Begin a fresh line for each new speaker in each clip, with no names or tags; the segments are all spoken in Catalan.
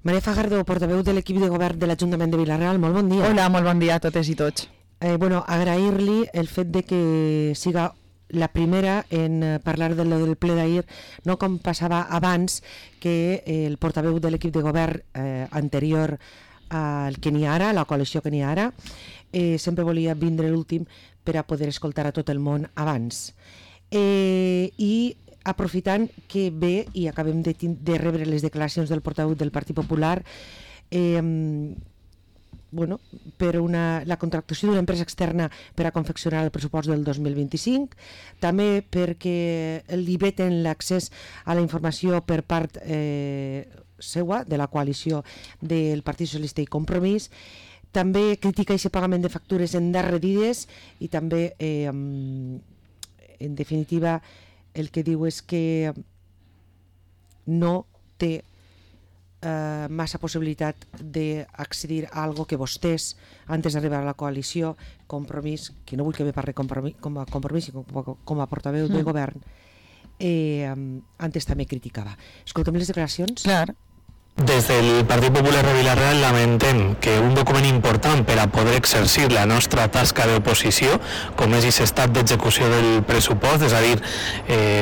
Maria Fajardo, portaveu de l'equip de govern de l'Ajuntament de Vila-real, molt bon dia.
Hola, molt bon dia a totes i tots.
Agrair-li el fet de que siga la primera en parlar del ple d'ahir, no com passava abans, que el portaveu de l'equip de govern anterior al que n'hi ha ara, la coalició que n'hi ha ara, sempre volia vindre l'últim per a poder escoltar a tot el món abans. I aprofitant que ve i acabem de rebre les declaracions del portaveu del Partit Popular per la contractació d'una empresa externa per a confeccionar el pressupost del 2025, també perquè li veten l'accés a la informació per part seua, de la coalició del Partit Socialista i Compromís. També critica aquest pagament de factures endarrerides i també, en definitiva, el que diu és que no té massa possibilitat d'accedir a algo que vostès, antes d'arribar a la coalició, Compromís, que no vull que me parli com a Compromís i com a portaveu de govern, antes també criticava. Escoltem les declaracions?
Clar.
Des del Partit Popular de Vila-real lamentem que un document important per a poder exercir la nostra tasca d'oposició, com és aquest estat d'execució del pressupost, és a dir,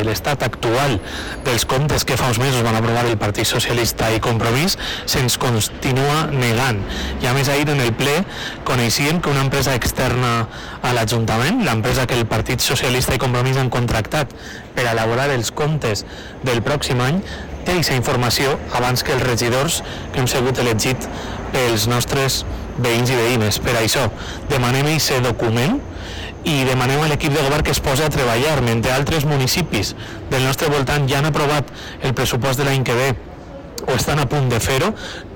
l'estat actual dels comptes que fa uns mesos van aprovar el Partit Socialista i Compromís, se'ns continua negant. I a més ahir en el ple coneixíem que una empresa externa a l'Ajuntament, l'empresa que el Partit Socialista i Compromís han contractat per a elaborar els comptes del pròxim any, té aquesta informació abans que els regidors que hem sigut elegits pels nostres veïns i veïnes. Per això demanem aquest document i demanem a l'equip de govern que es posi a treballar, mentre altres municipis del nostre voltant ja han aprovat el pressupost de l'any que ve o estan a punt de fer-ho.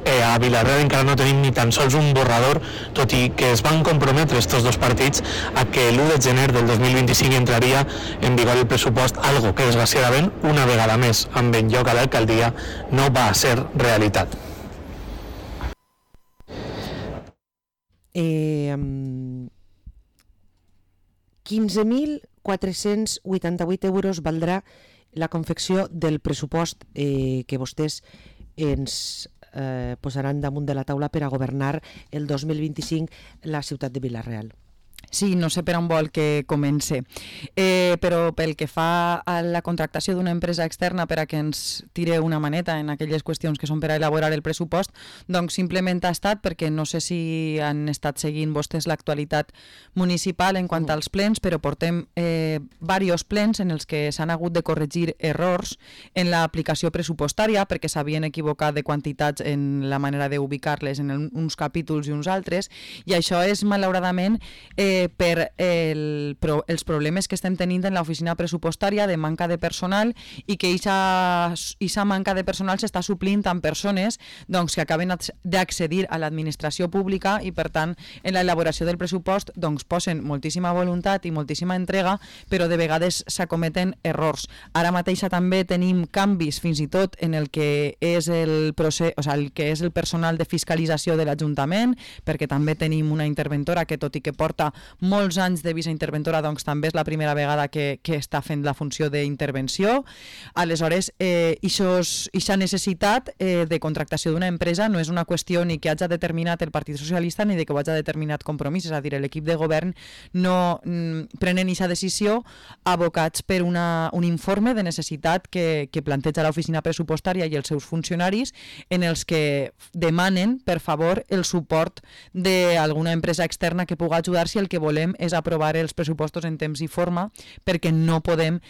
A Vila-real encara no tenim ni tan sols un borrador, tot i que es van comprometre estos dos partits a que l'1 de gener del 2025 entraria en vigor el pressupost, algo que desgraciadament una vegada més amb en lloc a l'alcaldia no va ser realitat.
15.488 euros valdrà la confecció del pressupost que vostès ens posaran damunt de la taula per a governar el 2025 la ciutat de Vila-real.
Sí, no sé per on vol que comence, però pel que fa a la contractació d'una empresa externa per a que ens tire una maneta en aquelles qüestions que són per a elaborar el pressupost, doncs simplement ha estat perquè no sé si han estat seguint vostès l'actualitat municipal en quant als plens, però portem diversos plens en els que s'han hagut de corregir errors en l'aplicació pressupostària perquè s'havien equivocat de quantitats en la manera d'ubicar-les en uns capítols i uns altres, i això és malauradament per els problemes que estem tenint en l'oficina pressupostària de manca de personal i que aquesta manca de personal s'està suplint amb persones doncs, que acaben d'accedir a l'administració pública i per tant en l'elaboració del pressupost doncs, posen moltíssima voluntat i moltíssima entrega, però de vegades s'acometen errors. Ara mateix també tenim canvis fins i tot en el que és el procés, el que és el personal de fiscalització de l'Ajuntament, perquè també tenim una interventora que tot i que porta molts anys de visa interventora, doncs també és la primera vegada que està fent la funció d'intervenció. Aleshores, aquesta necessitat de contractació d'una empresa no és una qüestió ni que hagi determinat el Partit Socialista ni de que ho hagi determinat Compromís, és a dir, l'equip de govern no prenen aquesta decisió abocats per un informe de necessitat que planteja l'oficina pressupostària i els seus funcionaris en els que demanen, per favor, el suport d'alguna empresa externa que pugui ajudar si el que volem és aprovar els pressupostos en temps i forma, perquè no podem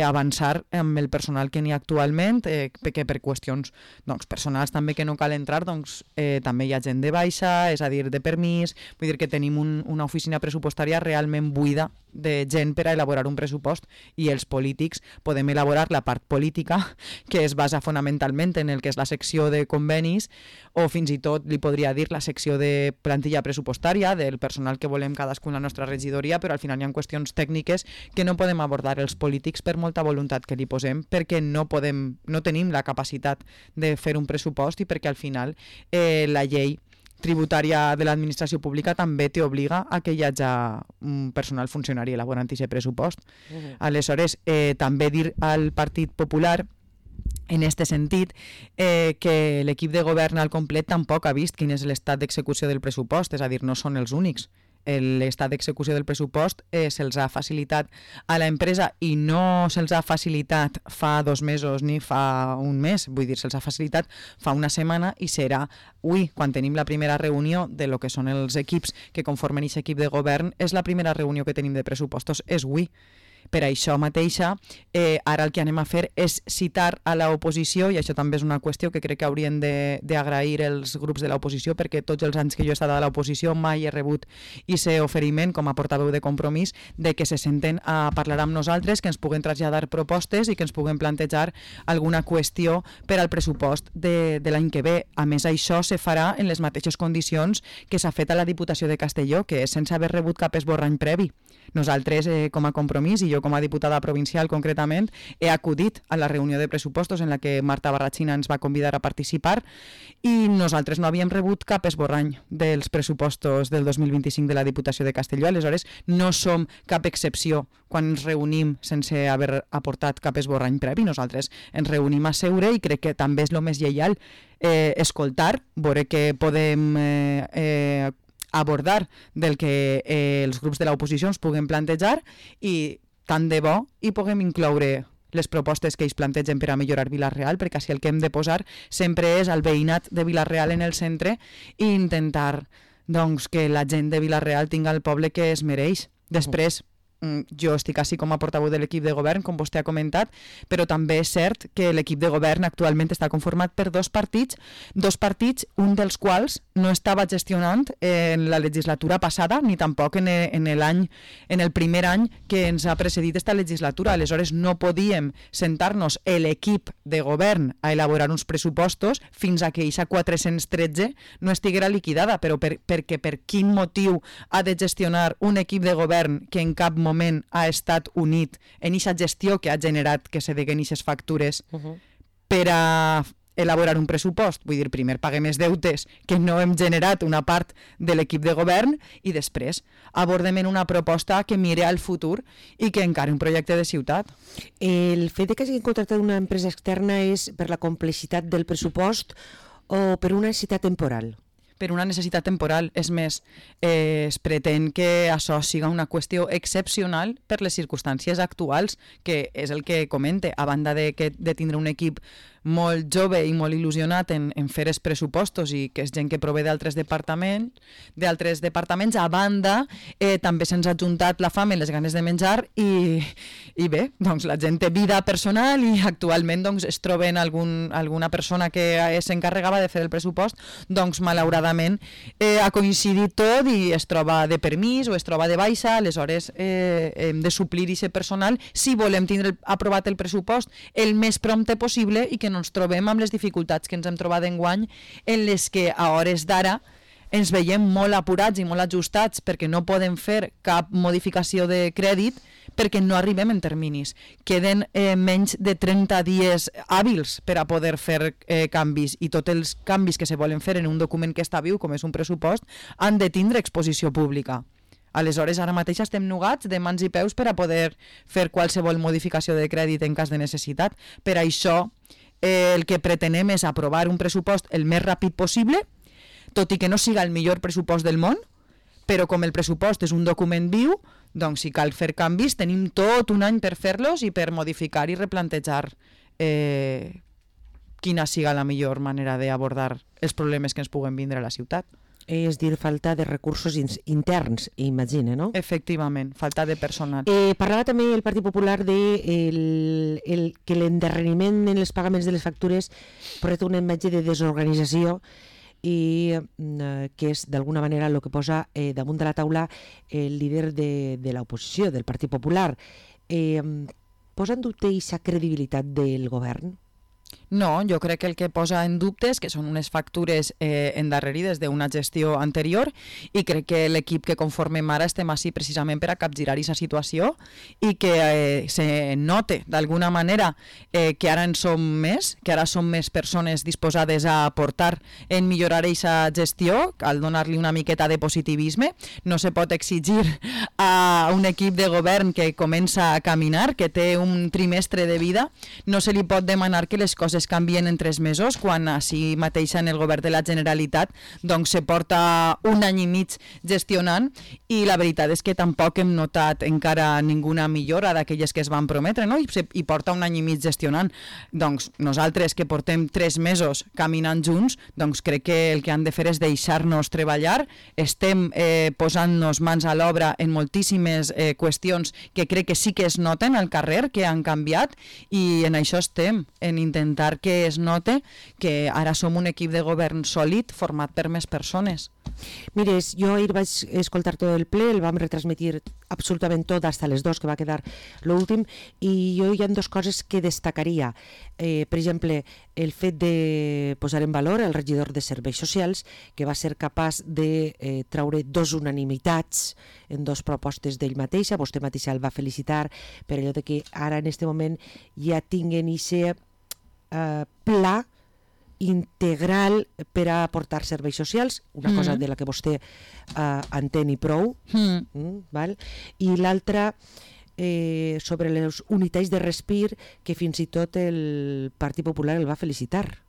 avançar amb el personal que n'hi ha actualment, perquè per qüestions personals també que no cal entrar, també hi ha gent de baixa, és a dir, de permís, vull dir que tenim una oficina pressupostària realment buida de gent per a elaborar un pressupost i els polítics podem elaborar la part política que es basa fonamentalment en el que és la secció de convenis o fins i tot li podria dir la secció de plantilla pressupostària del personal que volem cadascun a la nostra regidoria, però al final hi ha qüestions tècniques que no podem abordar els polítics per molta voluntat que li posem, perquè no tenim la capacitat de fer un pressupost i perquè al final la llei tributària de l'administració pública també t'obliga a que hi hagi un personal funcionari elaborant aquest pressupost. Aleshores, també dir al Partit Popular En aquest sentit, que l'equip de govern al complet tampoc ha vist quin és l'estat d'execució del pressupost, és a dir, no són els únics. L'estat d'execució del pressupost se'ls ha facilitat a l'empresa i no se'ls ha facilitat fa 2 mesos ni fa un mes, vull dir, se'ls ha facilitat fa una setmana i serà avui, quan tenim la primera reunió de lo que són els equips que conformen aquest equip de govern, és la primera reunió que tenim de pressupostos, és avui. Per això mateixa, ara el que anem a fer és citar a l'oposició, i això també és una qüestió que crec que haurien d'agrair els grups de l'oposició, perquè tots els anys que jo he estat a l'oposició mai he rebut aquest oferiment com a portaveu de Compromís de que se senten a parlar amb nosaltres, que ens puguen traslladar propostes i que ens puguen plantejar alguna qüestió per al pressupost de l'any que ve. A més, això se farà en les mateixes condicions que s'ha fet a la Diputació de Castelló, que és sense haver rebut cap esborrany previ. Nosaltres, com a Compromís, i jo com a diputada provincial concretament, he acudit a la reunió de pressupostos en la que Marta Barrachina ens va convidar a participar i nosaltres no havíem rebut cap esborrany dels pressupostos del 2025 de la Diputació de Castelló. Aleshores, no som cap excepció quan ens reunim sense haver aportat cap esborrany previ. Nosaltres ens reunim a seure i crec que també és el més lleial escoltar, veure què podem abordar del que els grups de l'oposició ens puguen plantejar i tant de bo i puguem incloure les propostes que ells plantegen per a millorar Vila-real, perquè així el que hem de posar sempre és el veïnat de Vila-real en el centre i intentar doncs, que la gent de Vila-real tingui el poble que es mereix. Després, jo estic així com a portaveu de l'equip de govern, com vostè ha comentat, però també és cert que l'equip de govern actualment està conformat per dos partits, un dels quals no estava gestionant en la legislatura passada, ni tampoc en el primer any que ens ha precedit esta legislatura. Aleshores, no podíem sentar-nos l'equip de govern a elaborar uns pressupostos fins a que aquesta 413 no estiguera liquidada, però perquè per quin motiu ha de gestionar un equip de govern que en cap moment ha estat unit en aquesta gestió que ha generat que se deguen aquestes factures per a elaborar un pressupost. Vull dir, primer paguem els deutes que no hem generat una part de l'equip de govern i després abordem en una proposta que mire al futur i que encari un projecte de ciutat.
El fet que hagin contractat una empresa externa és per la complexitat del pressupost o per una necessitat temporal?
Per una necessitat temporal. És més, es pretén que això siga una qüestió excepcional per les circumstàncies actuals, que és el que comente, a banda de tindre un equip molt jove i molt il·lusionat en fer els pressupostos i que és gent que prové d'altres departaments, a banda també se'ns ha juntat la fam i les ganes de menjar i bé, doncs la gent té vida personal i actualment doncs, es troben alguna persona que s'encarregava de fer el pressupost, doncs malauradament ha coincidit tot i es troba de permís o es troba de baixa, aleshores hem de suplir aquest personal si volem tindre aprovat el pressupost el més prompte possible i que no ens trobem amb les dificultats que ens hem trobat enguany en les que a hores d'ara ens veiem molt apurats i molt ajustats perquè no podem fer cap modificació de crèdit perquè no arribem en terminis. Queden menys de 30 dies hàbils per a poder fer canvis i tots els canvis que se volen fer en un document que està viu, com és un pressupost, han de tindre exposició pública. Aleshores, ara mateix estem nugats de mans i peus per a poder fer qualsevol modificació de crèdit en cas de necessitat. Per això, el que pretenem és aprovar un pressupost el més ràpid possible, tot i que no siga el millor pressupost del món, però com el pressupost és un document viu, doncs si cal fer canvis tenim tot un any per fer-los i per modificar i replantejar quina siga la millor manera d'abordar els problemes que ens puguen vindre a la ciutat.
És dir, falta de recursos interns, imagina, no?
Efectivament, falta de personal.
Parlava també el Partit Popular de que l'endarreriment en els pagaments de les factures porta una imatge de desorganització i que és d'alguna manera el que posa damunt de la taula el líder de l'oposició, del Partit Popular. Posa en dubte aquesta credibilitat del govern?
No, jo crec que el que posa en dubte és que són unes factures endarrerides d'una gestió anterior i crec que l'equip que conformem ara estem així precisament per a capgirar aquesta situació i que se note d'alguna manera que ara en som més, que ara som més persones disposades a aportar en millorar aquesta gestió, al donar-li una miqueta de positivisme. No se pot exigir a un equip de govern que comença a caminar, que té un trimestre de vida, no se li pot demanar que les coses canvien en 3 mesos, quan així mateix en el govern de la Generalitat doncs se porta 1 any i mig gestionant, i la veritat és que tampoc hem notat encara ninguna millora d'aquelles que es van prometre, no? I porta 1 any i mig gestionant. Doncs nosaltres que portem 3 mesos caminant junts, doncs crec que el que han de fer és deixar-nos treballar. Estem posant-nos mans a l'obra en moltíssimes qüestions que crec que sí que es noten al carrer, que han canviat, i en això estem, en intentar que es note que ara som un equip de govern sòlid format per més persones.
Mires, jo ahir vaig escoltar tot el ple, el vam retransmitir absolutament tot, hasta les 2, que va quedar l'últim, i jo hi ha 2 coses que destacaria. Per exemple, el fet de posar en valor el regidor de Serveis Socials, que va ser capaç de traure 2 unanimitats en 2 propostes d'ell mateixa. Vostè mateixa el va felicitar per allò de que ara en aquest moment ja tinguen aquest pla integral per a aportar serveis socials, una cosa de la que vostè entén i prou, val? I l'altra sobre les unitats de respir, que fins i tot el Partit Popular el va felicitar.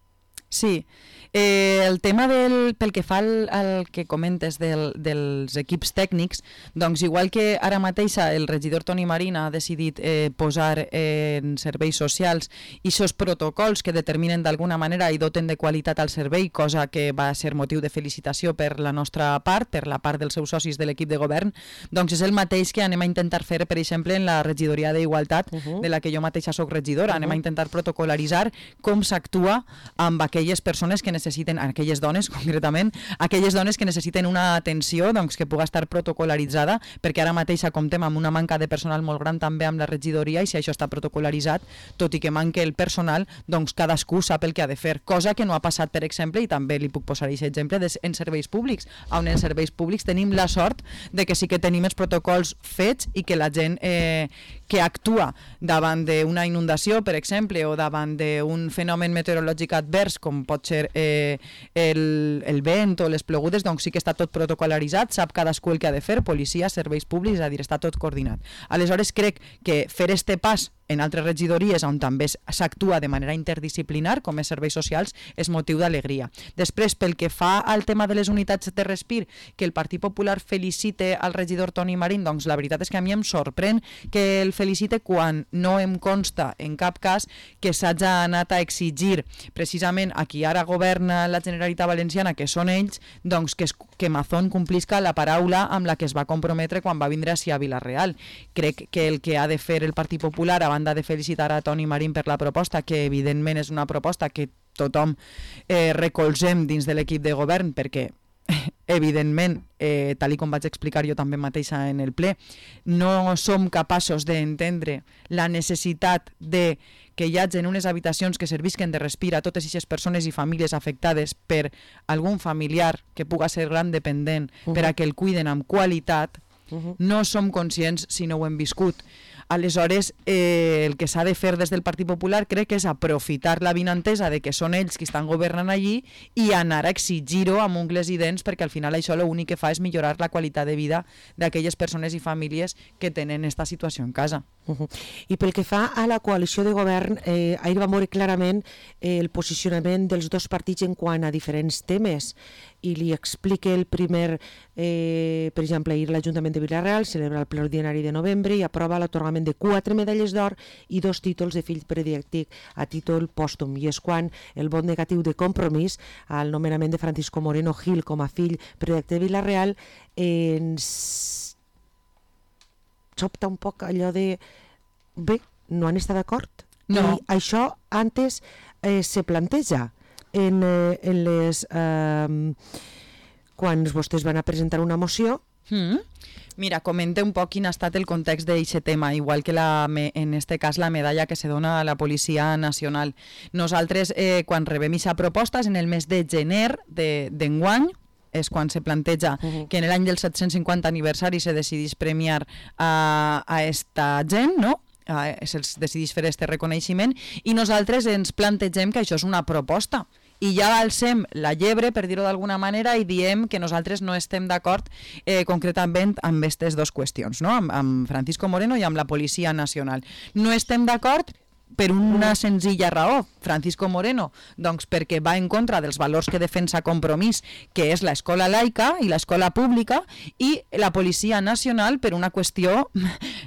Sí, el tema pel que fa al que comentes dels equips tècnics, doncs igual que ara mateix el regidor Toni Marín ha decidit posar en serveis socials aquests protocols que determinen d'alguna manera i doten de qualitat al servei, cosa que va ser motiu de felicitació per la nostra part, per la part dels seus socis de l'equip de govern, doncs és el mateix que anem a intentar fer, per exemple, en la regidoria d'Igualtat, de la que jo mateixa soc regidora. Anem a intentar protocolaritzar com s'actua amb aquelles persones que necessiten, aquelles dones concretament, aquelles dones que necessiten una atenció doncs, que puga estar protocolaritzada, perquè ara mateix comptem amb una manca de personal molt gran també amb la regidoria, i si això està protocolaritzat, tot i que manque el personal, doncs cadascú sap el que ha de fer, cosa que no ha passat, per exemple, i també li puc posar aquest exemple, en serveis públics, on en serveis públics tenim la sort de que sí que tenim els protocols fets i que la gent que actua davant d'una inundació, per exemple, o davant d'un fenomen meteorològic advers, com pot ser el vent o les plogudes, doncs sí que està tot protocolaritzat, sap cadascú el que ha de fer, policia, serveis públics, és a dir, està tot coordinat. Aleshores crec que fer este pas en altres regidories on també s'actua de manera interdisciplinar, com és serveis socials, és motiu d'alegria. Després, pel que fa al tema de les unitats de respir, que el Partit Popular felicite al regidor Toni Marín, doncs la veritat és que a mi em sorprèn que el felicite quan no em consta en cap cas que s'hagi anat a exigir precisament a qui ara governa la Generalitat Valenciana, que són ells, doncs que Mazón complisca la paraula amb la que es va comprometre quan va vindre a Vila-real. Crec que el que ha de fer el Partit Popular, a banda de felicitar a Toni Marín per la proposta, que evidentment és una proposta que tothom recolzem dins de l'equip de govern, perquè evidentment, tal com vaig explicar jo també mateixa en el ple, no som capaços d'entendre la necessitat de que hi hagi en unes habitacions que servisquen de respir a totes aquestes persones i famílies afectades per algun familiar que puga ser gran dependent per a que el cuiden amb qualitat. No som conscients si no ho hem viscut. Aleshores, el que s'ha de fer des del Partit Popular crec que és aprofitar la vinentesa de que són ells qui estan governant allí i anar a exigir-ho amb ungles i dents, perquè al final això l'únic que fa és millorar la qualitat de vida d'aquelles persones i famílies que tenen aquesta situació en casa.
I pel que fa a la coalició de govern, ahir va veure clarament el posicionament dels 2 partits en quant a diferents temes, i li explique el primer, per exemple, ahir l'Ajuntament de Vila-real celebra el ple ordinari de novembre i aprova l'atorgament de 4 medalles d'or i 2 títols de fill predilectic a títol pòstum, i és quan el vot negatiu de Compromís al nomenament de Francisco Moreno Gil com a fill predilecte de Vila-real ens sobta un poc allò de bé, no han estat d'acord?
No.
I això antes se planteja en les quan vostès van a presentar una moció.
Mira, comente un poc quin ha estat el context d'aquest tema, igual que en este cas la medalla que se dona a la Policia Nacional. Nosaltres, quan rebem aquesta proposta, és en el mes de gener d'enguany, és quan se planteja que en l'any del 750 aniversari se decidís premiar a esta gent, no? Se'ls decidís fer aquest reconeixement, i nosaltres ens plantegem que això és una proposta. I ja alcem la llebre, per dir-ho d'alguna manera, i diem que nosaltres no estem d'acord concretament amb aquestes 2 qüestions, no? Amb Francisco Moreno i amb la Policia Nacional. No estem d'acord per una senzilla raó, Francisco Moreno? Doncs perquè va en contra dels valors que defensa Compromís, que és l'escola laica i l'escola pública, i la Policia Nacional per una qüestió,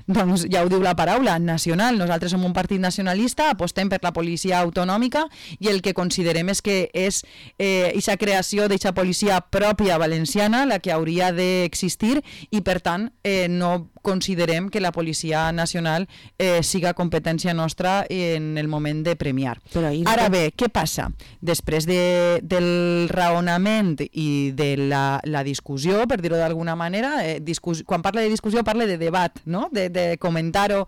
doncs ja ho diu la paraula, nacional. Nosaltres som un partit nacionalista, apostem per la policia autonòmica i el que considerem és que és aquesta creació d'aquesta policia pròpia valenciana la que hauria d'existir i per tant no considerem que la Policia Nacional siga competència nostra en el moment de premiar. Ara bé, què passa? Després del raonament i de la discussió, per dir-ho d'alguna manera, quan parla de discussió parla de debat, no? de comentar-ho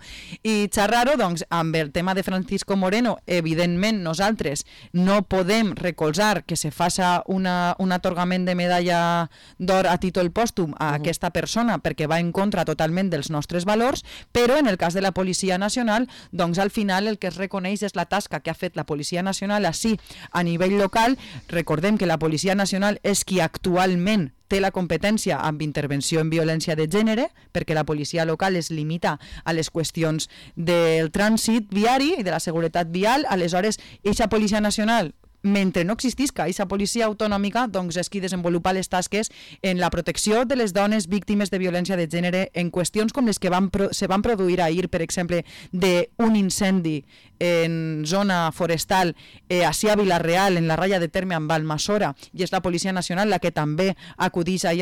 i xerrar-ho, doncs amb el tema de Francisco Moreno, evidentment nosaltres no podem recolzar que se faça un atorgament de medalla d'or a títol pòstum a aquesta persona perquè va en contra totalment dels nostres valors, però en el cas de la Policia Nacional, doncs al final el que es reconeix és la tasca que ha fet la Policia Nacional així a nivell local. Recordem que la Policia Nacional és qui actualment té la competència amb intervenció en violència de gènere, perquè la policia local es limita a les qüestions del trànsit viari i de la seguretat vial. Aleshores, eixa Policia Nacional, mentre no existisca aquesta policia autonòmica, doncs és qui desenvolupa les tasques en la protecció de les dones víctimes de violència de gènere en qüestions com les que se van produir ahir, per exemple, d'un incendi en zona forestal ací a Vila-real, en la ratlla de terme amb Almassora, i és la Policia Nacional la que també acudeix a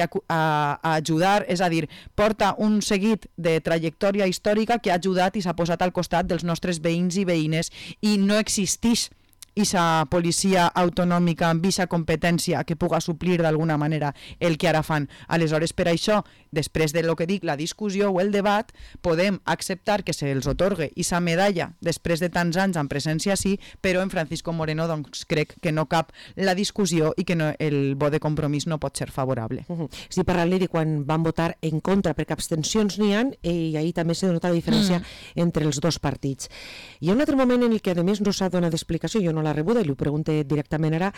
ajudar, és a dir, porta un seguit de trajectòria històrica que ha ajudat i s'ha posat al costat dels nostres veïns i veïnes, i no existeix aquesta policia autonòmica amb aquesta competència que puga suplir d'alguna manera el que ara fan. Aleshores, per això, després de lo que dic, la discussió o el debat, podem acceptar que se'ls otorgue aquesta medalla després de tants anys en presència sí, però en Francisco Moreno doncs, crec que no cap la discussió i que no, el vot de Compromís no pot ser favorable.
Sí, parlant de quan van votar en contra, perquè abstencions n'hi ha, i ahir també s'ha donat la diferència entre els dos partits. Hi ha un altre moment en el que a més no s'ha donat explicació, jo no la rebuda i li ho pregunto directament ara,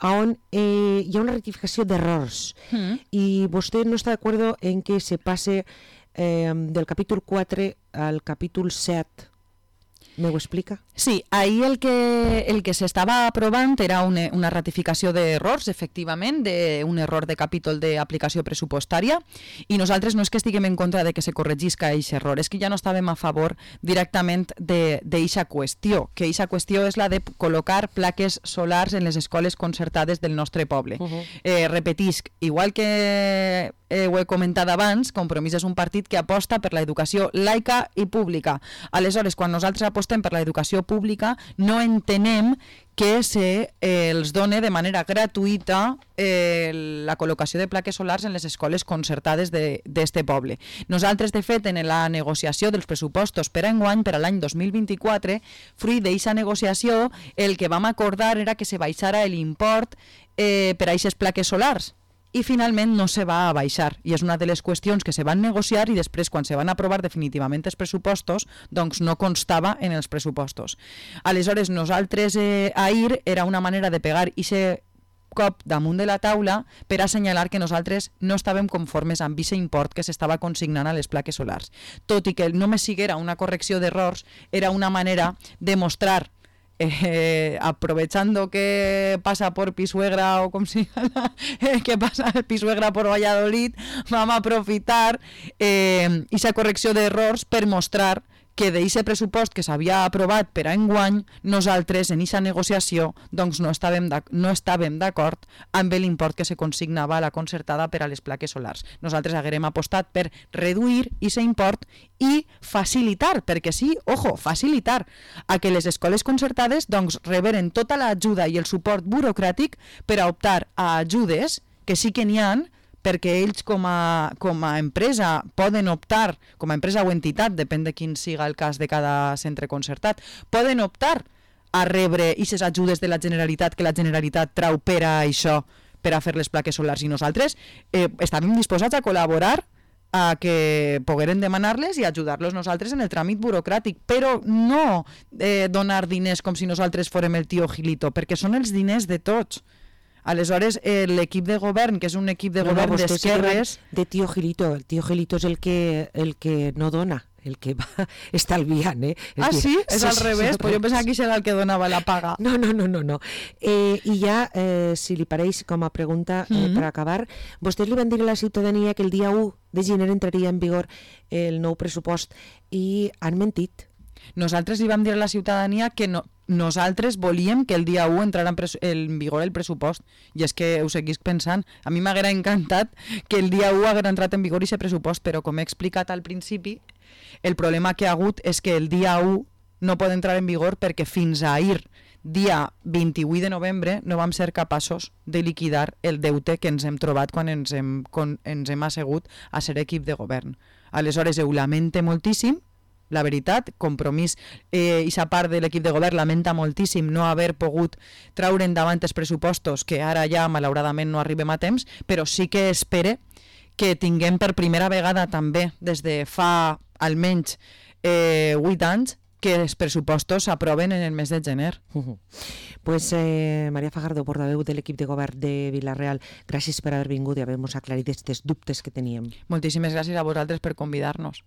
on hi ha una rectificació d'errors i vostè no està d'acord en que se passe del capítol 4 al capítol 7. ¿Me ho explica?
Sí, ahir el que s'estava aprovant era una ratificació d'errors, efectivament, d'un error de capítol d'aplicació pressupostària, i nosaltres no és que estiguem en contra de que se corregisca aquest error, és que ja no estàvem a favor directament d'eixa qüestió, que eixa qüestió és la de col·locar plaques solars en les escoles concertades del nostre poble. Repetisc, igual que ho he comentat abans, Compromís és un partit que aposta per l'educació laica i pública. Aleshores, quan nosaltres apostem per l'educació pública, no entenem que els doni de manera gratuïta la col·locació de plaques solars en les escoles concertades d'este poble. Nosaltres, de fet, en la negociació dels pressupostos per enguany, per a l'any 2024, fruit d'aquesta negociació, el que vam acordar era que se baixara l'import per a aquestes plaques solars. I finalment no se va baixar, i és una de les qüestions que se van negociar i després quan se van aprovar definitivament els pressupostos doncs no constava en els pressupostos. Aleshores nosaltres ahir era una manera de pegar aquest cop damunt de la taula per assenyalar que nosaltres no estàvem conformes amb aquest import que s'estava consignant a les plaques solars. Tot i que només siguera una correcció d'errors, era una manera de mostrar aprovechando que pasa por Pisuegra o como se llama, que pasa Pisuegra por Valladolid, vamos a aprofitar esa correcció d'errors per mostrar que d'aquest pressupost que s'havia aprovat per a enguany, nosaltres en aquesta negociació doncs no estàvem d'acord amb l'import que se consignava a la concertada per a les plaques solars. Nosaltres haguérem apostat per reduir aquest import i facilitar, perquè sí, ojo, facilitar a que les escoles concertades doncs reberen tota l'ajuda i el suport burocràtic per a optar a ajudes que sí que n'hi ha, perquè ells com a empresa poden optar, com a empresa o entitat, depèn de quin siga el cas de cada centre concertat, poden optar a rebre aquestes ajudes de la Generalitat que la Generalitat trau per a això, per a fer les plaques solars, i nosaltres estàvem disposats a col·laborar a que pogueren demanar-les i ajudar-los nosaltres en el tràmit burocràtic, però no donar diners com si nosaltres fórem el tio Gilito, perquè són els diners de tots. Aleshores, l'equip de govern, que és un equip de govern d'esquerres...
De tio Gilito, el tio Gilito és el que no dona. el que va estalviant,
Sí? És al revés? Pues jo pensava que era el que donava la paga.
No. I ja, si li pareix com a pregunta per acabar, vostès li van dir a la ciutadania que el dia 1 de gener entraria en vigor el nou pressupost i han mentit.
Nosaltres li vam dir a la ciutadania que nosaltres volíem que el dia 1 entrara en vigor el pressupost, i és que ho seguís pensant. A mi m'haguera encantat que el dia 1 haguera entrat en vigor aquest pressupost, però com he explicat al principi, el problema que ha hagut és que el dia 1 no pot entrar en vigor perquè fins a ahir, dia 28 de novembre, no vam ser capaços de liquidar el deute que ens hem trobat quan ens hem assegut a ser equip de govern. Aleshores, ho lamente moltíssim, la veritat, Compromís i sa part de l'equip de govern lamenta moltíssim no haver pogut traure endavant els pressupostos, que ara ja malauradament no arribem a temps, però sí que espere que tinguem per primera vegada també des de fa almenys 8 anys que els pressupostos s'aproven en el mes de gener.
Pues Maria Fajardo, portaveu de l'equip de govern de Vila-real, gràcies per haver vingut i haver-nos aclarit aquests dubtes que teníem.
Moltíssimes gràcies a vosaltres per convidar-nos.